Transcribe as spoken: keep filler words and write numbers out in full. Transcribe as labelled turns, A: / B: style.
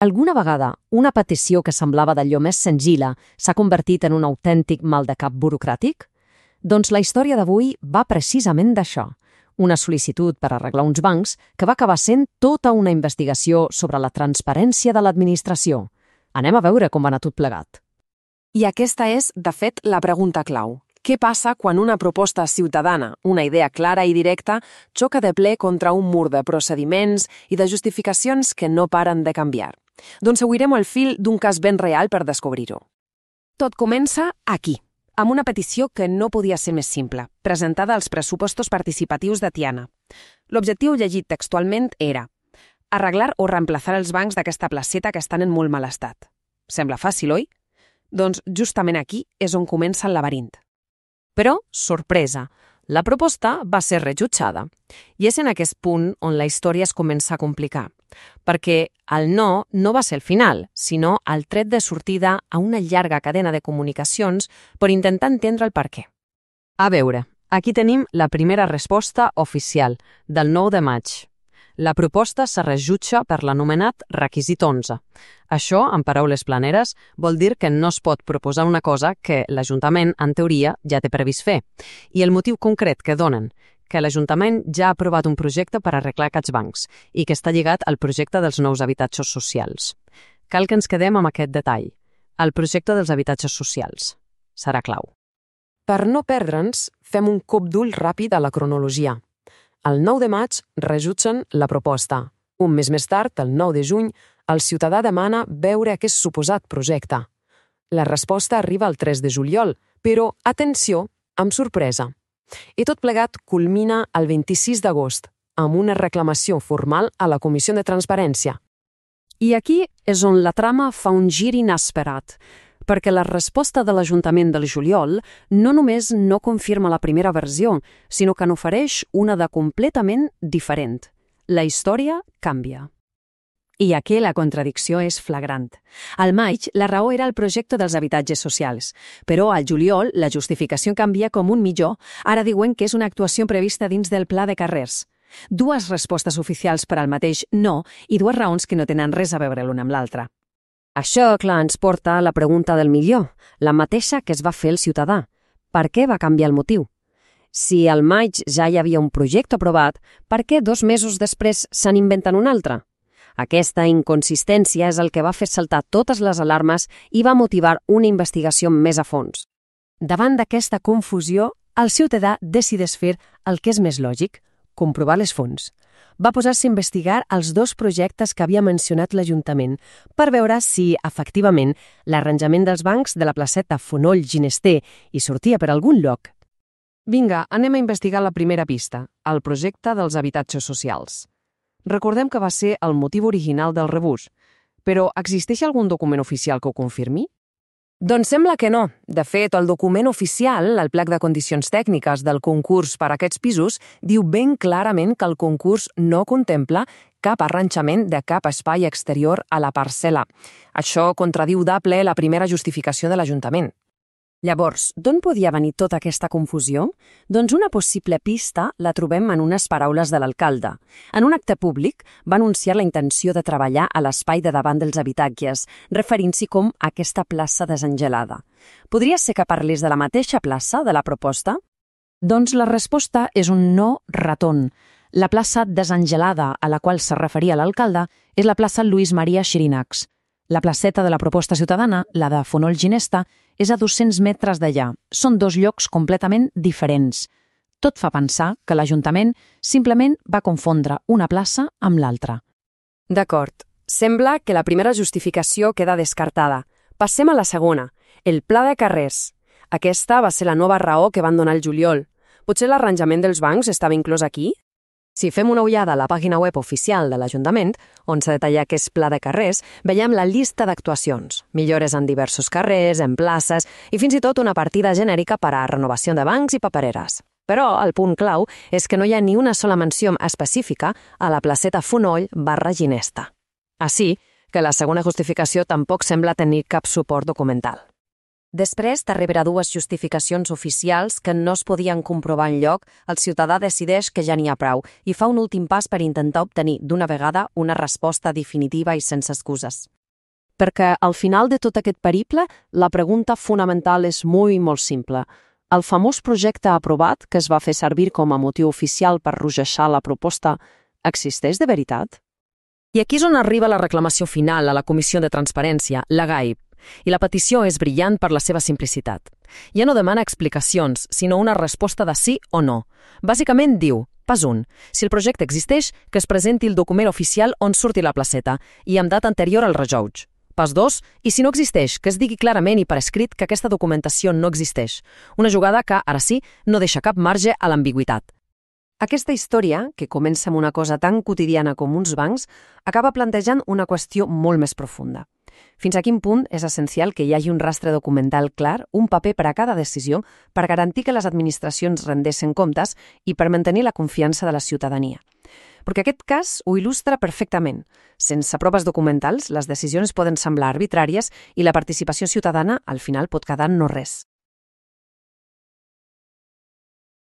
A: Alguna vegada, una petició que semblava d'allò més senzilla s'ha convertit en un autèntic mal de cap burocràtic? Doncs la història d'avui va precisament d'això. Una sol·licitud per arreglar uns bancs que va acabar sent tota una investigació sobre la transparència de l'administració. Anem a veure com va anar tot plegat.
B: I aquesta és, de fet, la pregunta clau. Què passa quan una proposta ciutadana, una idea clara i directa, xoca de ple contra un mur de procediments i de justificacions que no paren de canviar? Doncs seguirem el fil d'un cas ben real per descobrir-ho. Tot comença aquí, amb una petició que no podia ser més simple, presentada als pressupostos participatius de Tiana. L'objectiu llegit textualment era arreglar o reemplaçar els bancs d'aquesta placeta que estan en molt mal estat. Sembla fàcil, oi? Doncs justament aquí és on comença el laberint. Però, sorpresa, la proposta va ser rebutjada. I és en aquest punt on la història es comença a complicar, perquè el no no va ser el final, sinó el tret de sortida a una llarga cadena de comunicacions per intentar entendre el per què. A veure, aquí tenim la primera resposta oficial, del nou de maig. La proposta se rebutja per l'anomenat requisit onze. Això, en paraules planeres, vol dir que no es pot proposar una cosa que l'Ajuntament, en teoria, ja té previst fer. I el motiu concret que donen, que l'Ajuntament ja ha aprovat un projecte per arreglar aquests bancs i que està lligat al projecte dels nous habitatges socials. Cal que ens quedem amb aquest detall. El projecte dels habitatges socials. Serà clau. Per no perdre'ns, fem un cop d'ull ràpid a la cronologia. El nou de maig rebutgen la proposta. Un mes més tard, el nou de juny, el ciutadà demana veure aquest suposat projecte. La resposta arriba el tres de juliol, però, atenció, amb sorpresa. I tot plegat culmina el vint-i-sis d'agost, amb una reclamació formal a la Comissió de Transparència.
A: I aquí és on la trama fa un gir inesperat, perquè la resposta de l'Ajuntament del juliol no només no confirma la primera versió, sinó que n'ofereix una de completament diferent. La història canvia. I aquí la contradicció és flagrant. Al maig, la raó era el projecte dels habitatges socials, però al juliol la justificació canvia com un mitjó, ara diuen que és una actuació prevista dins del pla de carrers. Dues respostes oficials per al mateix no i dues raons que no tenen res a veure l'una amb l'altra. Això, clar, ens porta a la pregunta del milió, la mateixa que es va fer el ciutadà. Per què va canviar el motiu? Si al maig ja hi havia un projecte aprovat, per què dos mesos després se n'inventen un altre? Aquesta inconsistència és el que va fer saltar totes les alarmes i va motivar una investigació més a fons. Davant d'aquesta confusió, el ciutadà decideix fer el que és més lògic, comprovar les fonts. Va posar-se a investigar els dos projectes que havia mencionat l'Ajuntament per veure si, efectivament, l'arranjament dels bancs de la placeta Fonoll Ginester hi sortia per algun lloc. Vinga, anem a investigar la primera pista, el projecte dels habitatges socials. Recordem que va ser el motiu original del rebús, però existeix algun document oficial que ho confirmi? Doncs sembla que no. De fet, el document oficial, el plec de condicions tècniques del concurs per a aquests pisos, diu ben clarament que el concurs no contempla cap arranjament de cap espai exterior a la parcel·la. Això contradiu de ple la primera justificació de l'Ajuntament. Llavors, d'on podia venir tota aquesta confusió? Doncs una possible pista la trobem en unes paraules de l'alcalde. En un acte públic va anunciar la intenció de treballar a l'espai de davant dels habitatges, referint-s'hi com a aquesta plaça desangelada. Podria ser que parlés de la mateixa plaça de la proposta? Doncs la resposta és un no ratón. La plaça desangelada a la qual se referia l'alcalde és la plaça Lluís Maria Xirinacs. La placeta de la proposta ciutadana, la de Fonoll Ginester, és a dos-cents metres d'allà. Són dos llocs completament diferents. Tot fa pensar que l'Ajuntament simplement va confondre una plaça amb l'altra. D'acord. Sembla que la primera justificació queda descartada. Passem a la segona, el pla de carrers. Aquesta va ser la nova raó que van donar el juliol. Potser l'arranjament dels bancs estava inclòs aquí? Si fem una ullada a la pàgina web oficial de l'Ajuntament, on s'ha detallat aquest pla de carrers, veiem la llista d'actuacions, millores en diversos carrers, en places i fins i tot una partida genèrica per a renovació de bancs i papereres. Però el punt clau és que no hi ha ni una sola menció específica a la placeta Fonoll barra Ginester. Així que la segona justificació tampoc sembla tenir cap suport documental. Després de rebre dues justificacions oficials que no es podien comprovar enlloc, el ciutadà decideix que ja n'hi ha prou i fa un últim pas per intentar obtenir d'una vegada una resposta definitiva i sense excuses. Perquè al final de tot aquest periple, la pregunta fonamental és molt, molt simple. El famós projecte aprovat, que es va fer servir com a motiu oficial per rogejar la proposta, existeix de veritat? I aquí és on arriba la reclamació final a la Comissió de Transparència, la G A I P, i la petició és brillant per la seva simplicitat. Ja no demana explicacions, sinó una resposta de sí o no. Bàsicament diu, pas un, si el projecte existeix, que es presenti el document oficial on surti la placeta i amb data anterior al rejoig. Pas dos, i si no existeix, que es digui clarament i per escrit que aquesta documentació no existeix. Una jugada que, ara sí, no deixa cap marge a l'ambigüitat. Aquesta història, que comença amb una cosa tan quotidiana com uns bancs, acaba plantejant una qüestió molt més profunda. Fins a quin punt és essencial que hi hagi un rastre documental clar, un paper per a cada decisió, per garantir que les administracions rendessin comptes i per mantenir la confiança de la ciutadania. Perquè aquest cas ho il·lustra perfectament. Sense proves documentals, les decisions poden semblar arbitràries i la participació ciutadana al final pot quedar en no res.